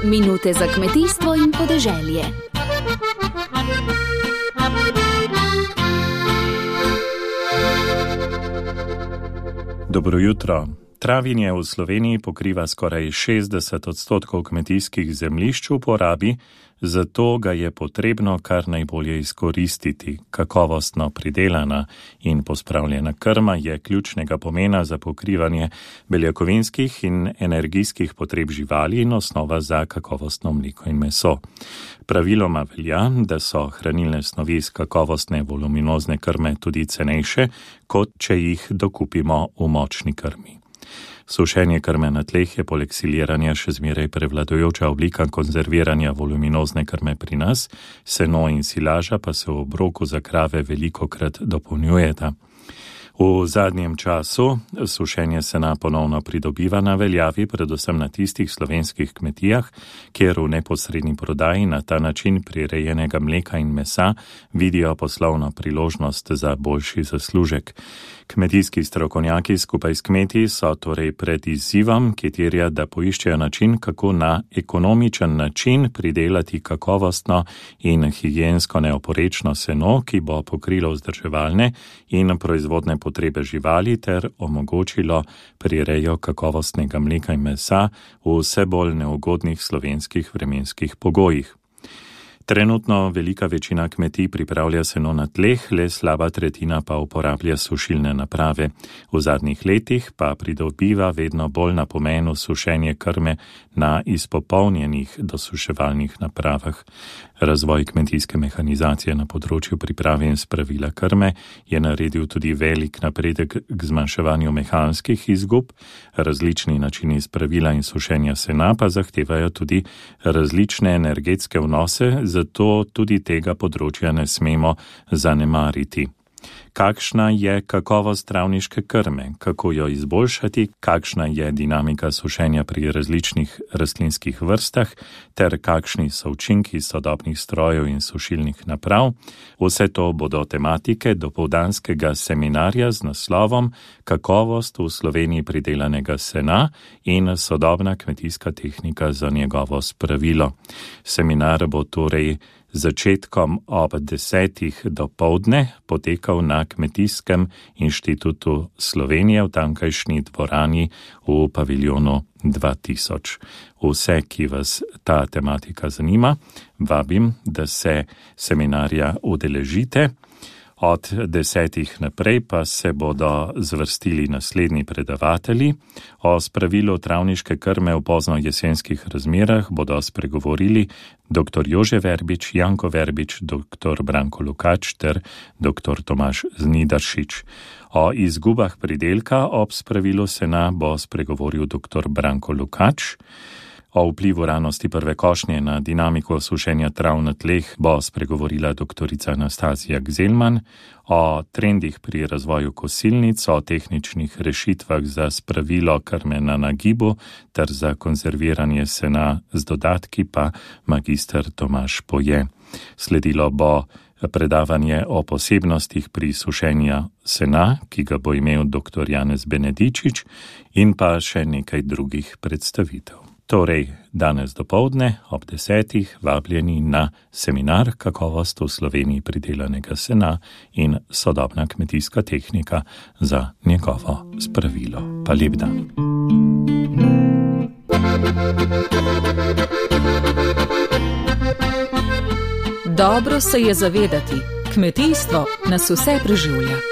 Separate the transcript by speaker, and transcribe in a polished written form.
Speaker 1: Minute za kmetijstvo in podeželje.
Speaker 2: Dobro jutro. Travinje v Sloveniji pokriva skoraj 60% kmetijskih zemljišč v porabi, zato ga je potrebno kar najbolje izkoristiti. Kakovostno pridelana in pospravljena krma je ključnega pomena za pokrivanje beljakovinskih in energijskih potreb živali in osnova za kakovostno mleko in meso. Praviloma velja, da so hranilne snovi iz kakovostne voluminozne krme tudi cenejše, kot če jih dokupimo v močni krmi. Sušenje krme na tleh je poleg siliranja še zmeraj prevladujoča oblika konzerviranja voluminozne krme pri nas, seno in silaža pa se v obroku za krave velikokrat dopolnjujeta. V zadnjem času sušenje sena ponovno pridobiva na veljavi, predvsem na tistih slovenskih kmetijah, kjer v neposredni prodaji na ta način prirejenega mleka in mesa vidijo poslovno priložnost za boljši zaslužek. Kmetijski strokovnjaki skupaj s kmeti so torej pred izzivom, ki terja, da poiščejo način, kako na ekonomičen način pridelati kakovostno in higiensko neoporečno seno, ki bo pokrilo vzdrževalne in proizvodne potrebe živali ter omogočilo prirejo kakovostnega mleka in mesa v vse bolj neugodnih slovenskih vremenskih pogojih. Trenutno velika večina kmetij pripravlja seno na tleh, le slaba tretjina pa uporablja sušilne naprave. V zadnjih letih pa pridobiva vedno bolj na pomenu sušenje krme na izpopolnjenih dosuševalnih napravah. Razvoj kmetijske mehanizacije na področju priprave in spravila krme je naredil tudi velik napredek k zmanjševanju mehanskih izgub. Različni načini spravila in sušenja sena pa zahtevajo tudi različne energetske vnose, zato tudi tega področja ne smemo zanemariti. Kakšna je kakovost travniške krme, kako jo izboljšati, kakšna je dinamika sušenja pri različnih rastlinskih vrstah, ter kakšni so učinki sodobnih strojev in sušilnih naprav. Vse to bodo tematike dopoldanskega seminarja z naslovom Kakovost v Sloveniji pridelanega sena in sodobna kmetijska tehnika za njegovo spravilo. Seminar bo torej začetkom ob 10. dopoldne potekal na Kmetijskem inštitutu Slovenije v tamkajšnji dvorani v paviljonu 2000. Vse, ki vas ta tematika zanima, vabim, da se seminarja udeležite. Od 10. naprej pa se bodo zvrstili naslednji predavatelji. O spravilu travniške krme v pozno jesenskih razmerah bodo spregovorili dr. Jože Verbič, Janko Verbič, dr. Branko Lukač ter dr. Tomaž Znidaršič. O izgubah pridelka ob spravilu sena bo spregovoril dr. Branko Lukač. O vplivu ranosti prve košnje na dinamiko sušenja trav na tleh bo spregovorila doktorica Anastazija Gzelman, o trendih pri razvoju kosilnic, o tehničnih rešitvah za spravilo krme na nagibu ter za konzerviranje sena z dodatki pa magister Tomaž Poje. Sledilo bo predavanje o posebnostih pri sušenju sena, ki ga bo imel dr. Janez Benedičič, in pa še nekaj drugih predstavitev. Torej, danes dopoldne ob 10. vabljeni na seminar Kakovost v Sloveniji pridelanega sena in sodobna kmetijska tehnika za njegovo spravilo. Pa lep dan.
Speaker 3: Dobro se je zavedati, kmetijstvo nas vse preživlja.